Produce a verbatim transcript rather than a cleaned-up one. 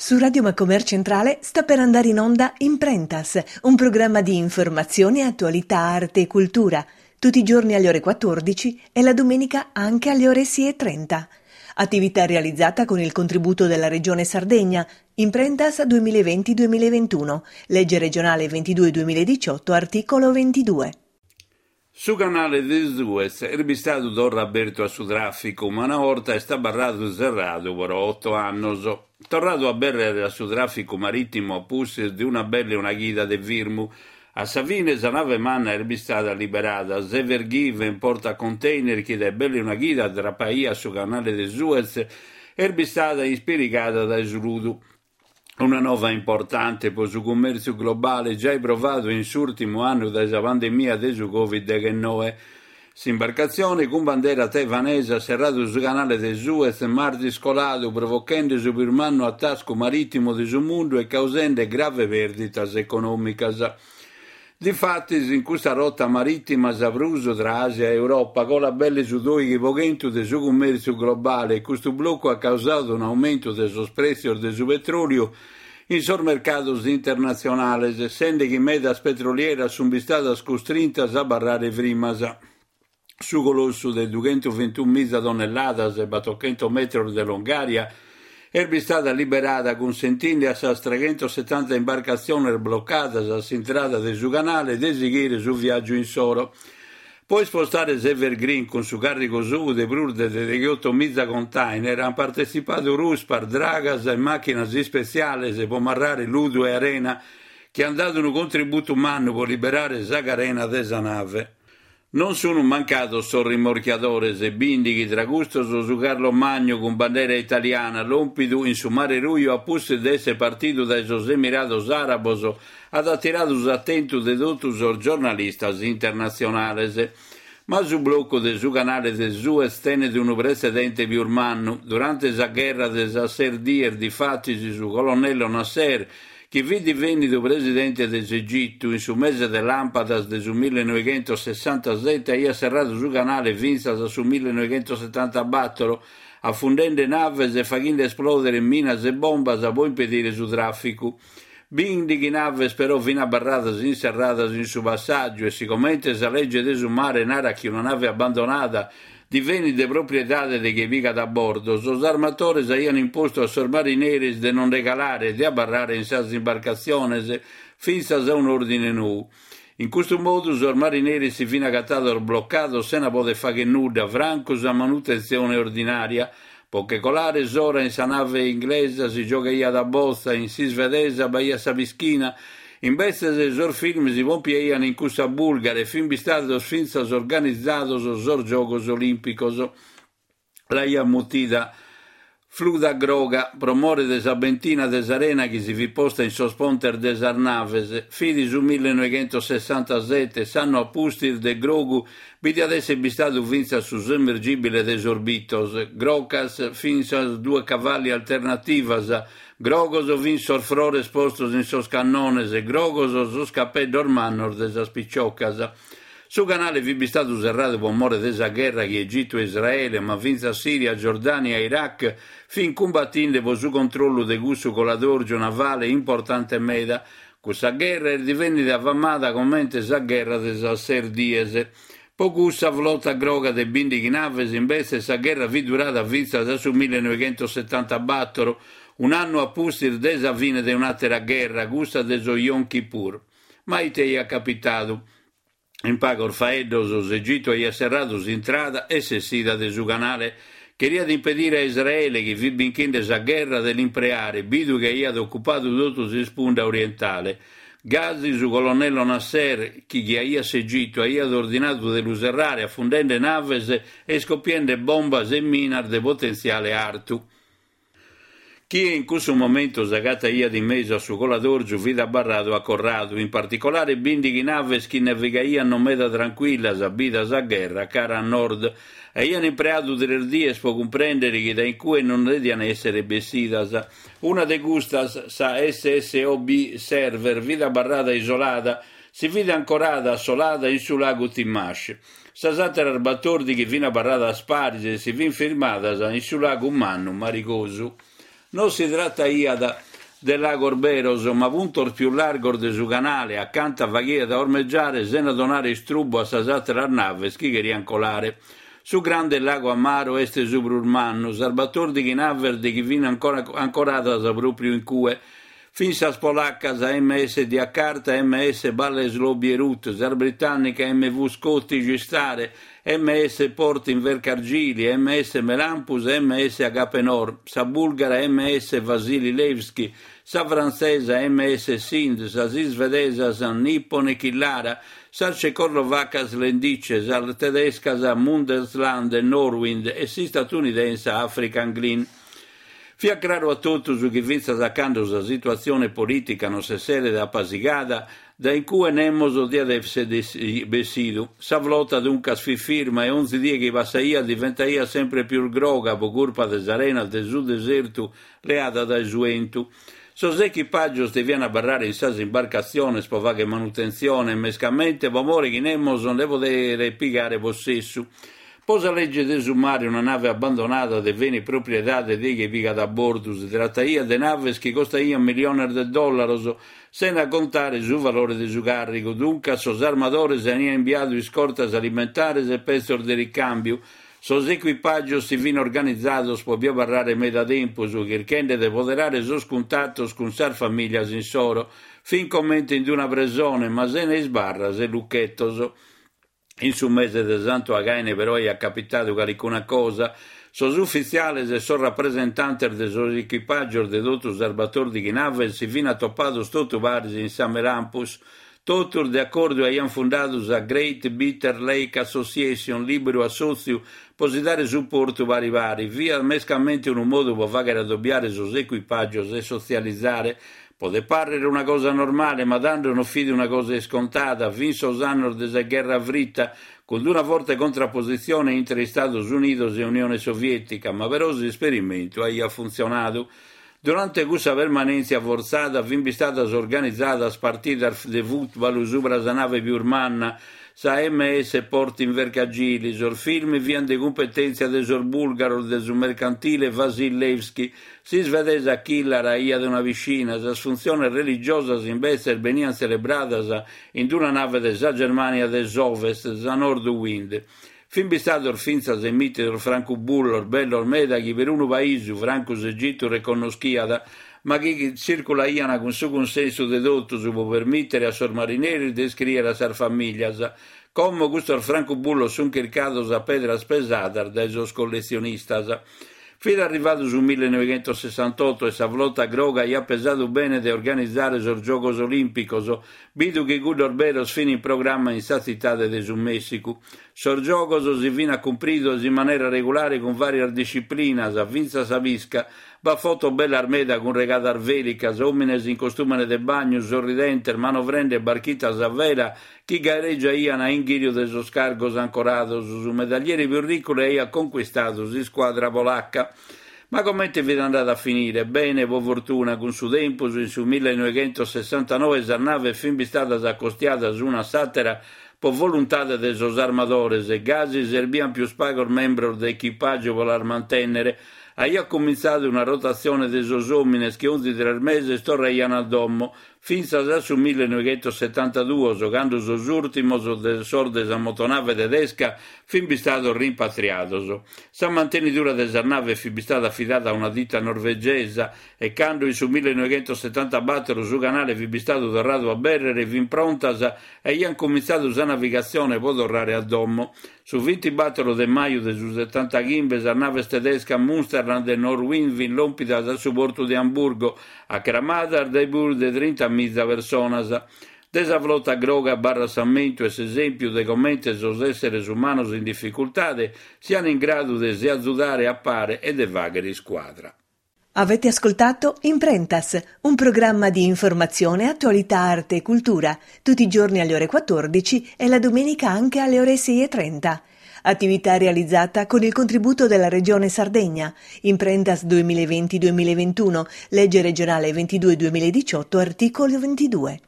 Su Radio Macomer Centrale sta per andare in onda Imprentas, un programma di informazione, attualità, arte e cultura, tutti i giorni alle ore quattordici e la domenica anche alle ore sei e trenta. Attività realizzata con il contributo della Regione Sardegna, Imprentas duemilaventi duemilaventuno, legge regionale ventidue duemiladiciotto, articolo ventidue. Su canale de Suez est bistadu torra abertu a su tràficu, ma una borta est abarradu serradu pro oto annos. Torradu a abèrrere a su tràficu marìtimu a pustis de una bella una chida de firmu. A sa fine sa nave manna est bistada liberada. S'Ever Given porta container chi dae belle una chida drapaiat su canale de Suez est bistada ispirigada dae su ludu. Una nova importante pro su cummèrtziu globale giai provadu in s'ùrtimu annu dae sa pandemia de su Covid deghennoe. S'imbarcatzione cun bandera taiwanesa at serradu su canale de Suez martis coladu, provochende su prus mannu atascu marìtimu de su mundu e causende grave pèrdidas econòmicas. Difatis, in custa rota marìtima sa prus tra Àsia e Europa colat belle su dòighi pro chentu de su cummèrtziu globale e custu blocu at causadu un'aumentu de sos prètzios de su petròliu in sos mercados internatzionales, sende chi medas petrolieras sunt bistadas custrintas a abarrare frimas. Su colossu de dughentuvintunu miza tonnelladas e battochento metros de longària est bistada liberada cunsentinde a sas treghentosetanta imbarcatziones blocadas a s'intrada de su canale de sighire su viàgiu insoro. Pro ispostare s'Ever Given cun su càrrigu suu de prus de degheoto miza container ant partetzipadu ruspas, dragas e màchinas ispetziales pro marrare ludu e arena chi ant dadu unu contributu mannu pro liberare sa carena de sa nave. Non sunt mancados sos rimorchiadores, bìndighi tra custos su Carlo Magno cun bandera italiana, lòmpidu in su Mare Ruju a pustis de èssere partidu dae sos Emirados Àrabos, at atiradu s'atentu de totu sos giornalistas internatzionales. Ma su blocu de su canale de Suez tenet unu pretzedente pius mannu. Durante sa gherra de sas ses dies, difatis, su colonnello Nasser, chi fit divenidu presidente de s'Egitu in su mese de làmpadas de su millenoighentosessantasete, aiat serradu su canale fintzas a su millenoighentosetabator, afundende naves e faghende esplòdere minas e bombas pro impedire su tràficu. Bìndighi naves però fin abarradas inserradas in su passàgiu e sigomente sa legge de su mare narat chi una nave abbandonada divenit de propriedade de chie pigat a bordo, sos armatores aiant impostu a sos marineris de non nde calare e de abarrare in sas imbarcatziones fintzas a un'òrdine nou. In custu modu sos marineris si fin agatados blocados sena poder fagher nudda, francu sa manutentzione ordinària. Pro che colare s'ora in sa nave inglesa si giogaiat a botza, in s'isvedesa b'aiat sa pischina, imbetzes sos film si pompiaiant in cussa bùlgara e fin bistados fintzas organizados sos Giogos Olìmpicos. L'aiat mutida Fluda Groga pro more de sa bentina de s'arena chi si fit posta in sos pontes de sas naves. Fit su millenoighentosessantasete, s'annu a pustis de Grogu bi diat èssere bistadu fintzas su sommergibile de sos Beatles. Grocas fin sas due cavalli alternativas, grogos fin sos frores postos in sos cannones, grogos sos capeddos mannos de sas picciocas. Su canale fit bistadu serradu pro more de sa gherra chi Egitu e Israele, ma fintzas Siria, Giordania e Iraq fin cumbatinde pro su controllu de cussu coladòrgiu navale importante meda. Cussa gherra est divennida famada comente sa gherra de sas ses dies. Pro cussa flota groga de bìndighi naves, imbetzes, sa gherra fit durada fintzas a su millenoighentosetabator, un'annu a pustis de sa fine de un'àtera gherra, cussa de su Yom Kippur. Ma ite aiat capitadu? In pagos faeddos, s'Egitu aiat serradu s'intrada e s'essida de su canale. Cheriat impedire a Israele, chi fit binchende sa gherra, de l'impreare, bidu chi aiat ocupadu totu s'ispunda orientale. Gasi su colonnello Nasser, chi ghiaiat s'Egitu, aiat ordinadu de lu serrare, afundende naves e iscopiende bombas e minas de potentziale artu. Chie in cussu momentu s'agataiat in mesu a su coladòrgiu fit abarradu acorradu, in particolare bìndighi naves chi navigaiant non meda trancuillas, bida sa gherra, cara a nord. Aiant impreadu tres dies pro cumprèndere chi dae in cue non deviant èssere bessidas. Una de custas, sa S S O B Server, fit abarrada isolada, si fit ancorada assolada in su lagu Timash. Sas àteras batòrdighi fin abarradas paris e si fin firmadas in su lagu Mannu Marigosu. Non si trataiat de lagos beros, ma puntos pius largos de su canale, acanta faghiat a ormeggiare sena donare istrubbu a sas àteras naves chi cheriant colare. Su grande lago Amaro est su prus mannu, sas batòrdighi naves de chi fin ancora ancoradas pròpiu in cue. Fin sas polacas M S Jakarta, M S Bolesław Bierut, sas britànnicas M V Scottish Star, M S Port Invercargill, M S Melampus e M S Agapenor, sa bulgara M S Vasili Levski, sa frantzesa M S Sind, sas isvedesas Nippon e Killara, sas cecoslovacas Lendice, sas tedescas Münsterland e Nordwind e s'istatunidensa African Glen. Fiat craru a totus chi fintzas a cando sa situatzione polìtica non s'esseret apasigada, dae in cue nemos diat èssere bessidu. Sa flota duncas fit firma e onzi die chi passaiat diventaiat sempre pius groga pro curpa de s'arena de su desertu leada dae su 'entu. Sos echipàgios deviant abarrare in sas imbarcatziones pro fàghere manutentzione, mescamente pro more chi nemos nde poderet pigare possessu. Pro sa legge de su mare una nave abbandonada devenit propriedade de chie pigat a bordu. Si trataiat de naves chi costaiant miliones de dòllaros, sena contare su valore de su càrrigu. Duncas sos armadores aiant imbiadu iscortas alimentares e petzos de ricàmbiu. Sos equipàgios si fin organizados pro bi abarrare meda tempus, chirchende de poderare sos cuntatos cun sas famìlias insoro. Fin comente in una presone, ma sena isbarras e luchetos. In su mese de Santu Againe però aiat capitadu calicuna cosa. Sos ufitziales e sos rapresentantes de sos equipàgios de totu sas batòrdighi naves si fin atopados totu paris in sa Melampus. Totus de acordu aiant fundadu sa Great Bitter Lake Association, lìberu assòtziu pro si dare suportu pari pari. Fiat mescamente unu modu pro fàghere adobiare sos equipàgios e sotzializare. Podet pàrrere una cosa normale, ma tando non fit una cosa iscontada. Fin sos annos de sa Gherra Frita, cun una forte contrapositzione intre Istados Unidos e Unione Soviètica, ma però s'esperimentu aiat funtzionadu. Durante cussa permanèntzia fortzada fin istadas organizadas partidas de fùtbalu subra sa nave pius manna, sa M S Port Invercargill. Sos film fiant de cumpetèntzia de sos bùlgaros de su mercantile Vasil Levski. S'isvedesa Killara aiat una piscina. Sas funtziones religiosas imbetzes beniant tzelebradas in una nave de sa Germània de s'Ovest, sa Nordwind. Fin istados fintzas emìtidos francubullos bellos meda chi perunu paisu, francu s'Egitu, reconnoschiat, ma chi tzirculaiant cun su cunsensu de totus pro permìtere a sos marineris de iscrìere a sas famìlias. Como custos francubullos sunt chircados a pedras pesadas dae sos colletzionistas. Fit arrivadu su millenoighentosessantotto e sa flota groga aiat pesadu bene de organizare sos Giogos Olìmpicos, bidu chi cuddos beros fin in programma in sa tzitade de su Mèssicu. Sos giogos si fin acumpridos in manera regulare cun vàrias disciplinas, fintzas sa pisca. B'at fotos bellas meda cun regadas vèlicas, òmines in costùmene de bagnu, sorridentes, manovrende barchitas a vela chi gareggiaiant a inghìriu de sos cargos ancorados. Su medaglieri pius riccu l'aiat conquistadu s'iscuadra polacca. Ma comente fit andada a finire? Bene, pro fortuna, cun su tempus, in su millenoighentosessantanoe sas naves fin istadas acostiadas una a s'àtera pro voluntade de sos armadores, gasi serbiant pius pagos membros de echipàgiu pro las mantènnere. Aiat comintzadu una rotatzione de sos òmines chi onzi tres meses torraiant a domo, fintzas a su millenoighentosetantaduos, cando sos ùrtimos de sos de sa motonave tedesca fin istados rimpatriados. Sa mantenidura de sas naves fit istada afidada a una dita norvegesa e cando in su millenoighentosetantabator su canale fit istadu torradu a abèrrere fin prontas e aiant comintzadu sa navigatzione pro torrare a domo. Su bintibator de maju de su setantachimbe sas naves tedescas Münsterland e Nordwind fin lòmpidas a su portu de Amburgo, acramadas dae prus de trinta miza personas. De sa flota groga abarrat s'ammentu e s'esèmpiu de comente sos èsseres umanos in dificultade siant in gradu de si azudare a pare e de fàghere iscuadra. Avete ascoltato Imprentas, un programma di informazione, attualità, arte e cultura, tutti i giorni alle ore quattordici e la domenica anche alle ore sei e trenta. Attività realizzata con il contributo della Regione Sardegna. Imprentas duemilaventi-duemilaventuno, legge regionale ventidue duemiladiciotto, articolo ventidue.